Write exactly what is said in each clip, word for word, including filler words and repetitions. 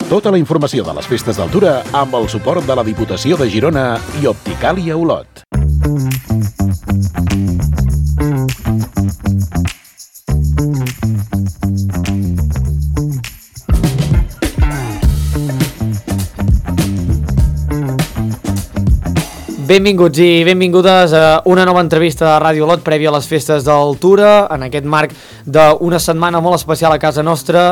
Tota la informació de les festes d'Altura amb el suport de la Diputació de Girona i Opticàlia Olot. Benvinguts i benvingudes a una nova entrevista de Ràdio Olot prèvia a les festes d'Altura, en aquest marc d'una setmana molt especial a casa nostra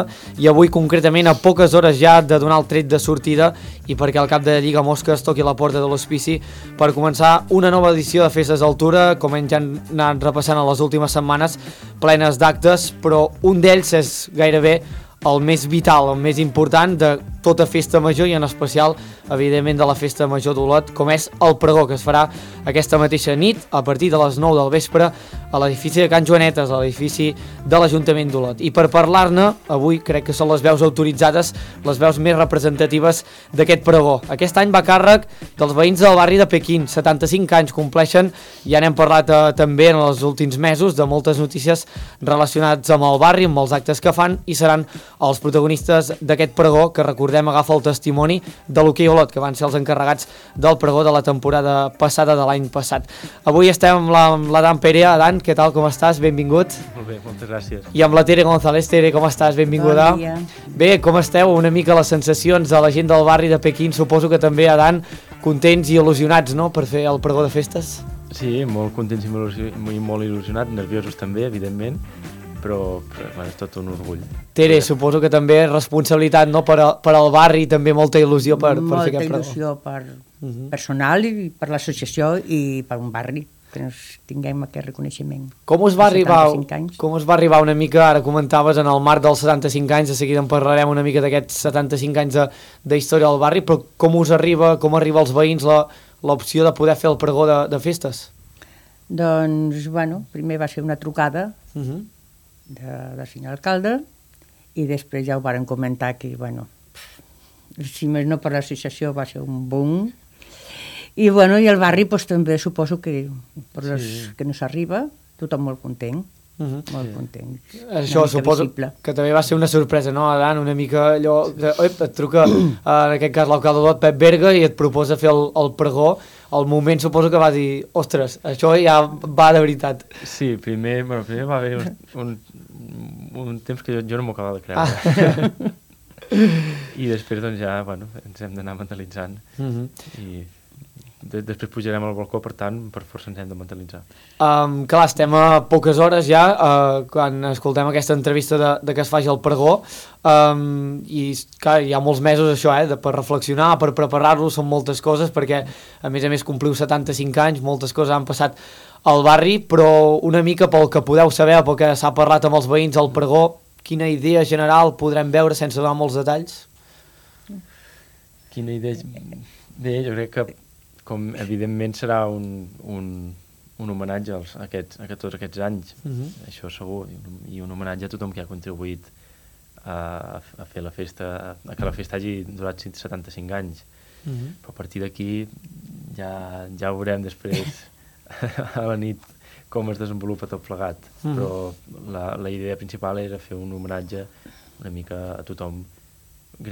i avui concretament a poques hores ja de donar el tret de sortida i perquè el cap de Lliga Mosques toqui la porta de l'hospici per començar una nova edició de festes d'Altura, com hem ja anat repassant a les últimes setmanes, plenes d'actes, però un d'ells és gairebé el més vital, el més important de tota festa major i en especial, evidentment, de la festa major d'Olot, com és el pregó, que es farà aquesta mateixa nit a partir de les nou del vespre a l'edifici de Can Joanetes, a l'edifici de l'Ajuntament d'Olot. I per parlar-ne, avui crec que són les veus autoritzades, les veus més representatives d'aquest pregó. Aquest any va a càrrec dels veïns del barri de Pequín, setanta-cinc anys compleixen, ja n'hem parlat eh, també en els últims mesos de moltes notícies relacionades amb el barri, amb els actes que fan, i seran els protagonistes d'aquest pregó, que recordem agafa el testimoni de l'Hoquei Olot, que van ser els encarregats del pregó de la temporada passada de l'any passat. Avui estem amb la, amb l'Adán Perea. Adán, què tal, com estàs? Benvingut. Molt bé, moltes gràcies. I amb la Tere González. Tere, com estàs? Benvinguda. Bon dia. Bé, com esteu? Una mica les sensacions de la gent del barri de Pequín, suposo que també, Adán, contents i il·lusionats, no?, per fer el pregó de festes? Sí, molt contents i molt, il·lusi- molt il·lusionats, nerviosos també, evidentment, però, però bueno, és tot un orgull. Tere, suposo que també responsabilitat, no?, per, a, per al barri, també molta il·lusió per, per Molta fer aquest pregó. il·lusió per Mhm. personal i per l'associació i per un barri, que ens tinguem aquest reconeixement. Com us va arribar, setanta-cinc anys. com us va arribar una mica, ara comentaves, en el marc dels setanta-cinc anys, de seguida en parlarem una mica d'aquests setanta-cinc anys de, de història del barri, però com us arriba, com arriba als veïns la, l'opció de poder fer el pregó de, de festes? Doncs, bueno, primer va ser una trucada Uh -huh. de, del senyor alcalde i després ja ho varen comentar que, bueno, si més no per l'associació va ser un boom. I, bueno, i el barri pues, també suposo que per les Sí. que no s'arriba, tothom molt content, Uh -huh. molt content. Això Una mica suposo visible. que també va ser una sorpresa, no, Adán? Una mica allò que oi, et truca, en aquest cas, l'alcalde d'Olot, Pep Berga, i et proposa fer el, el pregó. Al moment suposo que va dir, ostres, això ja va de veritat. Sí, primer, bueno, primer va haver un, un, un temps que jo, jo no m'ho acabava de creure. Ah. I després, doncs, ja, bueno, ens hem d'anar mentalitzant. Uh -huh. I de, després pujarem al balcó, per tant, per força ens hem de mentalitzar. Um, clar, estem a poques hores ja uh, quan escoltem aquesta entrevista de, de que es faci el pregó um, i clar, hi ha molts mesos això, eh, de, per reflexionar, per preparar-lo, són moltes coses perquè a més a més compliu setanta-cinc anys, moltes coses han passat al barri, però una mica pel que podeu saber, pel que s'ha parlat amb els veïns al pregó, quina idea general podrem veure sense donar molts detalls? Quina idea... Bé, jo crec que, com evidentment serà un, un, un homenatge als, a, aquests, a tots aquests anys, Uh -huh. això segur, i un, i un homenatge a tothom que ha contribuït a, a fer la festa, a que la festa hagi durat setanta-cinc anys. Uh -huh. Però a partir d'aquí ja, ja veurem després a la nit com es desenvolupa tot plegat. Uh -huh. Però la, la idea principal era fer un homenatge una mica a tothom,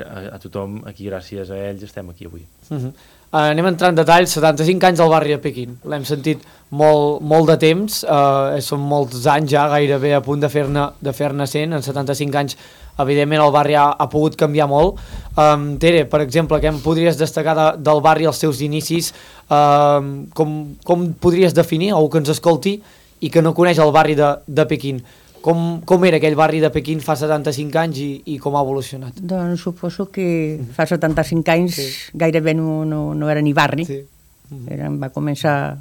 a, a tothom aquí, gràcies a ells estem aquí avui. Uh -huh. uh, anem a entrar en detalls. setanta-cinc anys al barri de Pequín, l'hem sentit molt, molt de temps, uh, són molts anys ja gairebé a punt de fer-ne de fer-ne cent. En setanta-cinc anys evidentment el barri ha, ha pogut canviar molt. um, Tere, per exemple, què em podries destacar de, del barri als seus inicis? Uh, com, com podries definir, algú que ens escolti i que no coneix el barri de, de Pequín, com, com era aquell barri de Pequín fa setanta-cinc anys i, i com ha evolucionat? Doncs suposo que fa setanta-cinc anys Sí. gairebé no, no, no era ni barri. Sí. Era, va començar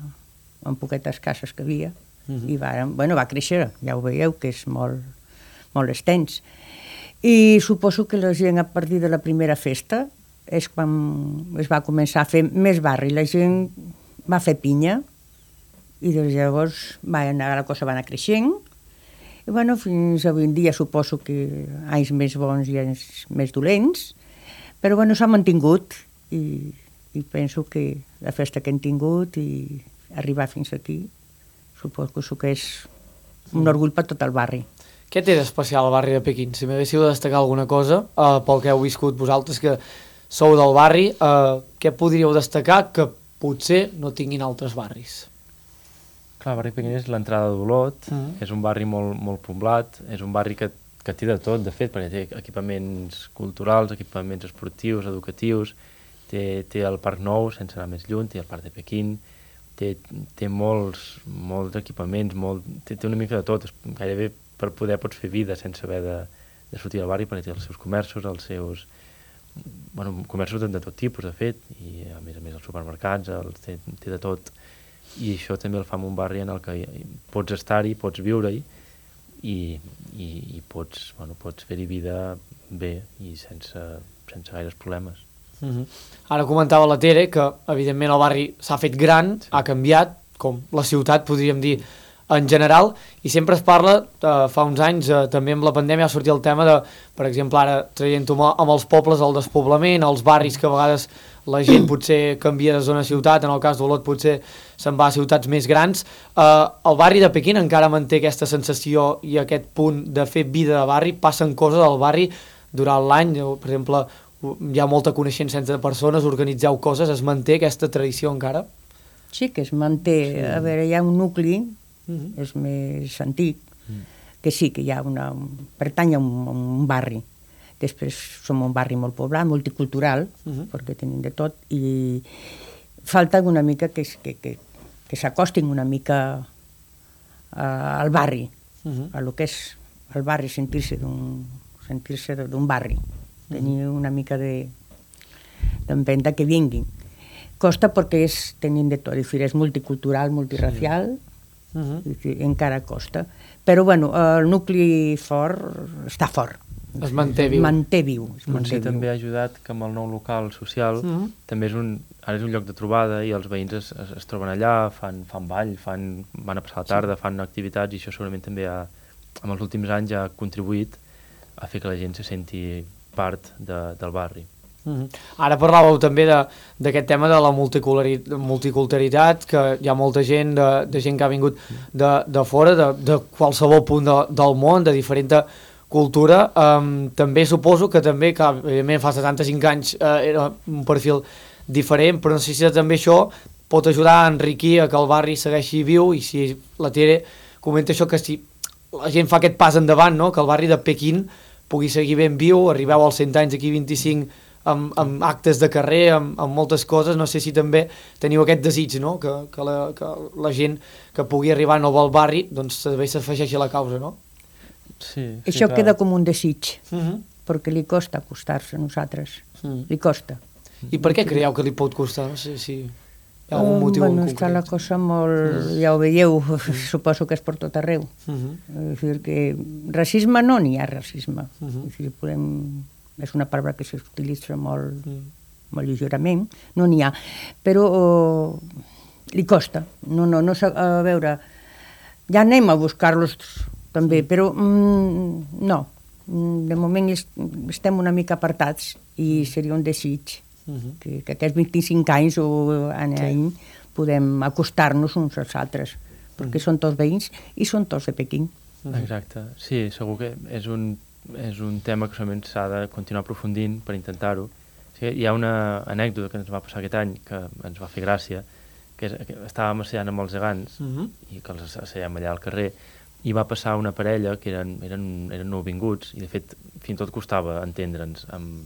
amb poquetes cases que havia Mhm. i va, bueno, va créixer, ja ho veieu, que és molt, molt extens. I suposo que la gent a partir de la primera festa és quan es va començar a fer més barri. La gent va fer pinya i des de llavors va anar, la cosa va anar creixent. I bueno, fins avui en dia suposo que anys més bons i anys més dolents, però bueno, s'ha mantingut i, i penso que la festa que hem tingut i arribar fins aquí suposo que és un orgull per tot el barri. Què té d'especial el barri de Pequín? Si m'haguéssiu de destacar alguna cosa, uh, pel que heu viscut vosaltres, que sou del barri, uh, què podríeu destacar que potser no tinguin altres barris? Clar, el barri Pequín és l'entrada d'Olot, Mm. és un barri molt, molt poblat, és un barri que, que té de tot, de fet, perquè té equipaments culturals, equipaments esportius, educatius, té, té el Parc Nou, sense anar més lluny, té el Parc de Pequín, té, té molts, molts equipaments, molt, té, té una mica de tot, gairebé per poder pots fer vida sense haver de, de sortir del barri, perquè té els seus comerços, els seus... Bueno, comerços de, de tot tipus, de fet, i a més a més els supermercats, els, té, té de tot, i això també el fa en un barri en el que pots estar-hi, pots viure-hi, i, i, i pots, bueno, pots fer-hi vida bé i sense, sense gaires problemes. Mm-hmm. Ara comentava la Tere que evidentment el barri s'ha fet gran, sí. Ha canviat, com la ciutat podríem dir en general, i sempre es parla, eh, fa uns anys, eh, també amb la pandèmia ha sortit el tema de, per exemple, ara traient-ho amb els pobles, el despoblament, els barris que a vegades la gent potser canvia de zona a ciutat, en el cas d'Olot potser se'n va a ciutats més grans. Eh, el barri de Pequín encara manté aquesta sensació i aquest punt de fer vida de barri, passen coses al barri durant l'any, per exemple, hi ha molta coneixença entre persones, organitzeu coses, es manté aquesta tradició encara? Sí que es manté, sí. A veure, hi ha un nucli, Uh-huh. és més antic, uh-huh. que sí, que hi ha una... pertany a un, un barri. Després som un barri molt poblat, multicultural, uh-huh. perquè tenim de tot, i falta una mica que, que, que, que s'acostin una mica uh, al barri, uh-huh. a lo que és el barri, sentir-se d'un sentir-se d'un barri, uh-huh. tenir una mica de d'empenta que vinguin. Costa perquè és, tenim de tot, és multicultural, multiracial, sí. Uh-huh. encara costa, però bueno, el nucli fort està fort, es manté viu, manté viu es manté manté també viu. ha ajudat que amb el nou local social uh-huh. també és un, ara és un lloc de trobada i els veïns es, es, es troben allà, fan, fan ball, fan, van a passar la tarda, sí. fan activitats, i això segurament també ha, en els últims anys ha contribuït a fer que la gent se senti part de, del barri. Uh-huh. Ara parlàveu també d'aquest tema de la multiculturalitat, que hi ha molta gent, de, de gent que ha vingut de, de fora, de, de qualsevol punt de, del món, de diferent cultura. Um, també suposo que també, que evidentment fa setanta-cinc anys uh, era un perfil diferent, però no sé si també això pot ajudar a enriquir a que el barri segueixi viu, i si la Tere comenta això, que si la gent fa aquest pas endavant, no? Que el barri de Pequín pugui seguir ben viu, arribeu als cent anys d'aquí vint-i-cinc Amb, amb actes de carrer, amb, amb moltes coses, no sé si també teniu aquest desig, no? que, que, la, que la gent que pugui arribar nova al barri doncs també s'afegeixi a la causa, no? Sí, sí, això clar. queda com un desig, Uh-huh. perquè li costa acostar-se a nosaltres, Uh-huh. li costa. I per què creieu que li pot costar? No sé si hi ha algun um, motiu bueno, en està la concret. cosa molt... ja ho veieu, suposo que és per tot arreu. Uh-huh. És dir, que racisme no n'hi ha racisme. Uh-huh. És dir, podem... és una paraula que s'utilitza molt, Uh-huh. molt lleugerament, no n'hi ha. Però oh, li costa. No, no, no, a veure, ja anem a buscar-los també, però mm, no. De moment estem una mica apartats i seria un desig uh-huh. que, que aquests vint-i-cinc anys o any a any sí. podem acostar-nos uns als altres, perquè uh-huh. són tots veïns i són tots de Pequín. Uh-huh. Exacte, sí, segur que és un, és un tema que solament s'ha de continuar aprofundint per intentar-ho. O sigui, hi ha una anècdota que ens va passar aquest any que ens va fer gràcia, que, és, que estàvem assallant amb els gegants uh-huh. i que els assallem allà al carrer, i va passar una parella que eren, eren, eren nouvinguts, i de fet fins i tot costava entendre'ns amb,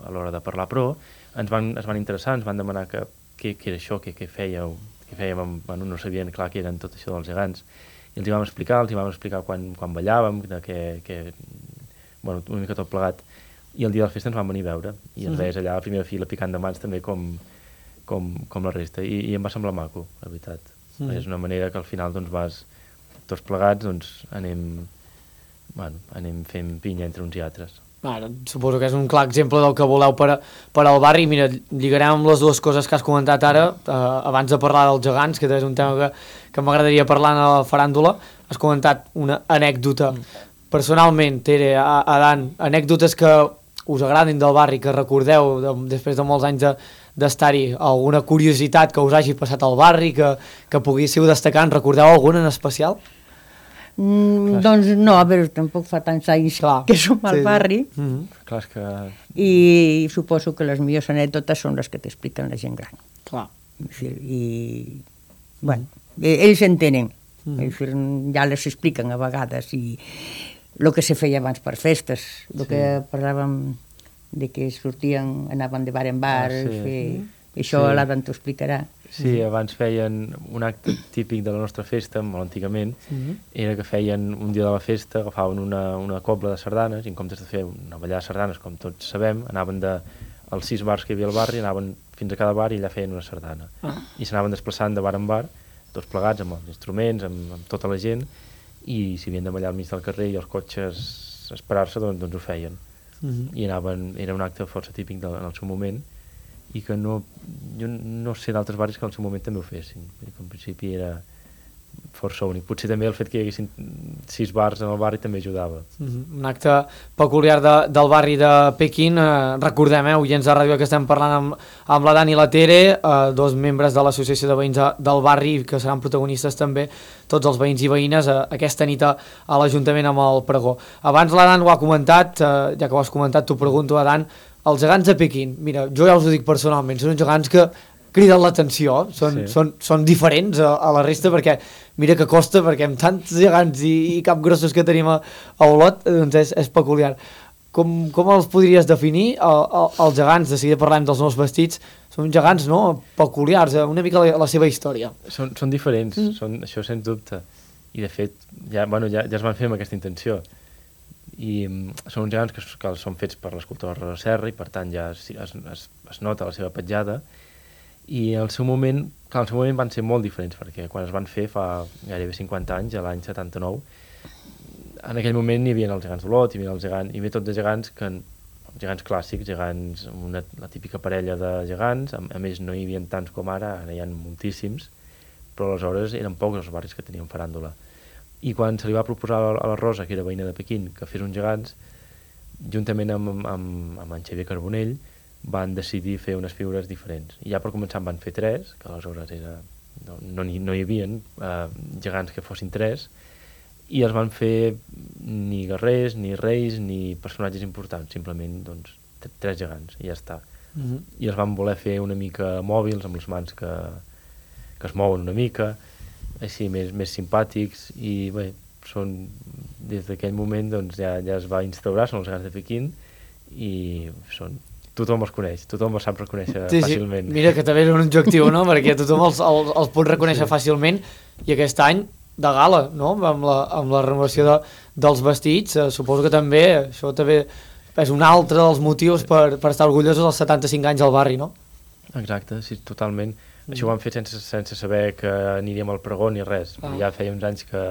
a l'hora de parlar, però ens van, es van interessar, ens van demanar que, què, què era això, què, què fèieu, què fèiem, amb, bueno, no sabien clar que eren tot això dels gegants, i els hi vam explicar, els hi vam explicar quan, quan ballàvem, de que, que, bueno, una mica tot plegat, i el dia de la festa ens van venir a veure, i ens Mhm. veies allà a la primera fila picant de mans també com, com, com la resta, i, i em va semblar maco, la veritat. Mhm. És una manera que al final doncs vas tots plegats, doncs anem, bueno, anem fent pinya entre uns i altres. Ara, suposo que és un clar exemple del que voleu per, a, per al barri. Mira, lligarem amb les dues coses que has comentat ara, eh, abans de parlar dels gegants, que és un tema que, que m'agradaria parlar en la faràndula. Has comentat una anècdota. Personalment, Tere, Adan, anècdotes que us agradin del barri, que recordeu de, després de molts anys de, d'estar-hi, alguna curiositat que us hagi passat al barri, que, que poguéssiu destacar, en recordeu alguna en especial? Mm, doncs no, a veure, tampoc fa tants anys Clar, que som al sí. barri Mhm. Clar, és que... i suposo que les millors anècdotes són les que t'expliquen la gent gran. Clar. És dir, I, bueno, eh, ells entenen, Mhm. és dir, ja les expliquen a vegades, i el que se feia abans per festes, el Sí. que parlàvem de que sortien, anaven de bar en bar, Ah, sí. fer... això Sí. l'Adam t'ho explicarà. Sí, abans feien un acte típic de la nostra festa, molt antigament, Mhm. era que feien un dia de la festa, agafaven una, una cobla de sardanes, i en comptes de fer una ballada de sardanes, com tots sabem, anaven de, als sis bars que hi havia al barri, anaven fins a cada bar i allà feien una sardana. Ah. I s'anaven desplaçant de bar en bar, tots plegats, amb els instruments, amb, amb tota la gent, i si havien de ballar al mig del carrer i els cotxes esperar-se, doncs, doncs ho feien. Mhm. I anaven, era un acte força típic de, en el seu moment, i que no, jo no sé d'altres barris que en el seu moment també ho fessin. Vull dir que en principi era força únic. Potser també el fet que hi haguessin sis bars en el barri també ajudava. Mhm. Un acte peculiar de, del barri de Pequín. Eh, recordem, eh, oients de ràdio, que estem parlant amb, amb la Dani i la Tere, eh, dos membres de l'associació de veïns de, del barri, que seran protagonistes també, tots els veïns i veïnes, eh, aquesta nit a, a l'Ajuntament amb el pregó. Abans la Dan ho ha comentat, eh, ja que ho has comentat, t'ho pregunto a Dan, els gegants de Pequín, mira, jo ja us ho dic personalment, són uns gegants que criden l'atenció, són, Sí. són, són diferents a, a la resta, perquè mira que costa, perquè amb tants gegants i, i capgrossos que tenim a, a Olot, doncs és, és peculiar. Com, com els podries definir, el, el, els gegants? De seguida parlem dels nous vestits, són gegants, no?, peculiars, eh? Una mica la, la seva història. Són, són diferents, Mm. són, això sens dubte. I de fet, ja, bueno, ja, ja es van fer amb aquesta intenció. I mm, són uns gegants que, s- que són fets per l'escultor Rosa Serra i per tant ja es, es, es, es nota la seva petjada. I al seu moment, clar, al seu moment van ser molt diferents, perquè quan es van fer fa gairebé cinquanta anys, a l'any setanta-nou, en aquell moment hi havia els gegants d'Olot, hi havia els gegants, hi havia tot de gegants que, gegants clàssics, gegants, una, la típica parella de gegants, a, a més no hi havia tants com ara, ara hi ha moltíssims, però aleshores eren pocs els barris que tenien faràndula. I quan se li va proposar a la Rosa, que era veïna de Pequín, que fes uns gegants, juntament amb, amb, amb en Xavier Carbonell, van decidir fer unes figures diferents. I ja per començar en van fer tres, que aleshores era, no, no, hi, no hi havia eh, gegants que fossin tres, i els van fer ni guerrers, ni reis, ni personatges importants, simplement doncs, tres gegants, i ja està. Mhm. I els van voler fer una mica mòbils, amb les mans que, que es mouen una mica, així més, més simpàtics, i bé, són, des d'aquell moment doncs, ja, ja es va instaurar, són els gegants de Pequín, i són, tothom els coneix, tothom els sap reconèixer Sí, sí. fàcilment. Mira que també és un objectiu, no?, perquè tothom els, els, els pot reconèixer Sí. fàcilment, i aquest any de gala, no?, amb la, amb la renovació de, dels vestits, eh, suposo que també, això també és un altre dels motius per, per estar orgullosos dels setanta-cinc anys al barri, no? Exacte, sí, totalment. Mm. Això ho vam fer sense, sense saber que aniríem al pregó ni res. Ah. Ja feia uns anys que,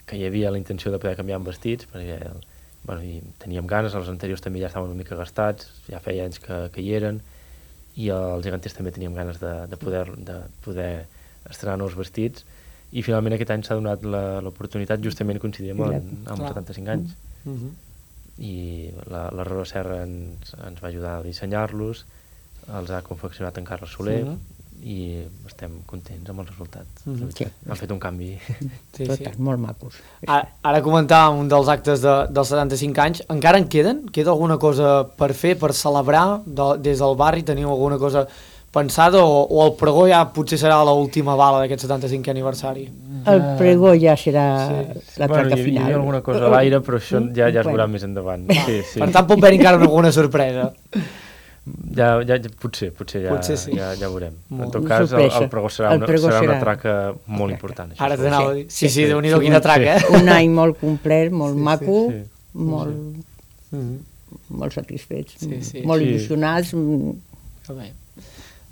que hi havia la intenció de poder canviar en vestits, perquè bueno, i teníem ganes, els anteriors també ja estaven una mica gastats, ja feia anys que, que hi eren, i els geganters també teníem ganes de, de, poder, de poder estrenar nous vestits, i finalment aquest any s'ha donat la- l'oportunitat, justament coincidint amb, amb Clar. setanta-cinc anys. Mm -hmm. I la, la Rosa Serra ens, ens va ajudar a dissenyar-los, els ha confeccionat en Carles Soler, Sí. i estem contents amb el resultat. Mhm. La veritat. Sí. Han fet un canvi. Sí, Tot, sí. molt macos. Ara, ara comentàvem un dels actes de, dels setanta-cinc anys. Encara en queden? Queda alguna cosa per fer, per celebrar de, des del barri? Teniu alguna cosa pensada o, o el pregó ja potser serà l'última bala d'aquest setanta-cinquè aniversari? El pregó ja serà Sí. la traca hi, hi final. havia alguna cosa a l'aire, però això ja, ja es veurà Bueno. més endavant. Va, Sí, sí. Per tant, pot haver encara alguna sorpresa. Ja, ja, ja, potser, potser ja, Potser sí. ja, ja veurem. Molt. En tot Una cas, el, sorpresa. el pregó serà El una, pregó serà una serà- traca molt important. Això Ara segur. t'anava a dir. Sí, sí, sí. Déu-n'hi-do, Sí, quina sí. traca, eh? Un any molt complet, molt Sí, sí, maco, sí. molt, Mhm. molt satisfets, Sí, sí. molt Sí. il·lusionats. mm, Que bé.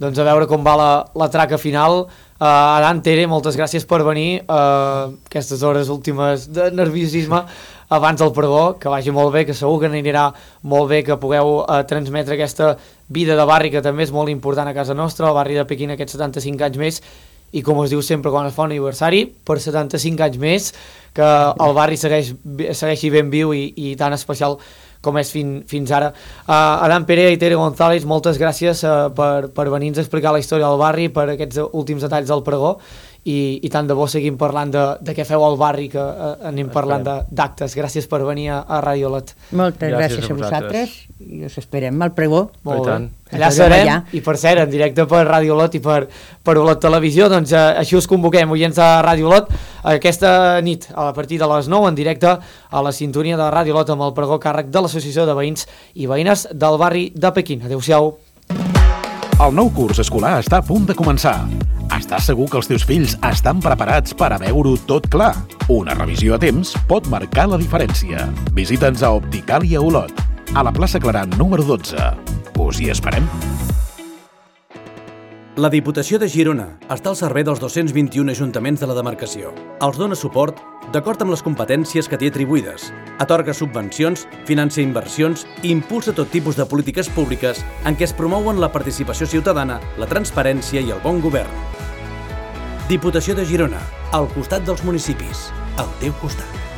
Doncs a veure com va la, la traca final. Uh, Adan, Tere, moltes gràcies per venir. Uh, aquestes hores últimes de nerviosisme abans del pregó, que vagi molt bé, que segur que anirà molt bé, que pugueu uh, transmetre aquesta vida de barri que també és molt important a casa nostra, el barri de Pequín aquests setanta-cinc anys més, i com es diu sempre quan es fa un aniversari, per setanta-cinc anys més, que el barri segueix, segueixi ben viu i, i tan especial com és fin, fins ara. Uh, Adan Perea i Tere González, moltes gràcies uh, per, per venir-nos a explicar la història del barri, per aquests últims detalls del pregó, i, i tant de bo seguim parlant de, de què feu al barri, que eh, anem parlant d'actes. Gràcies per venir a, a Radio Olot. Moltes gràcies, gràcies a a vosaltres i us esperem al pregó. Molt bé. Allà serem, allà. I per cert, en directe per Radio Olot i per, per Olot Televisió, doncs eh, així us convoquem, oients de Radio Olot, aquesta nit, a partir de les nou, en directe, a la sintonia de Radio Olot amb el pregó càrrec de l'Associació de Veïns i Veïnes del barri de Pequín. Adéu-siau. El nou curs escolar està a punt de començar. Estàs segur que els teus fills estan preparats per a veure-ho tot clar? Una revisió a temps pot marcar la diferència. Visita'ns a Opticàlia Olot, a la plaça Claran número dotze. Us hi esperem. La Diputació de Girona està al servei dels dos-cents vint-i-un ajuntaments de la demarcació. Els dona suport d'acord amb les competències que té atribuïdes, atorga subvencions, financia inversions i impulsa tot tipus de polítiques públiques en què es promouen la participació ciutadana, la transparència i el bon govern. Diputació de Girona, al costat dels municipis, al teu costat.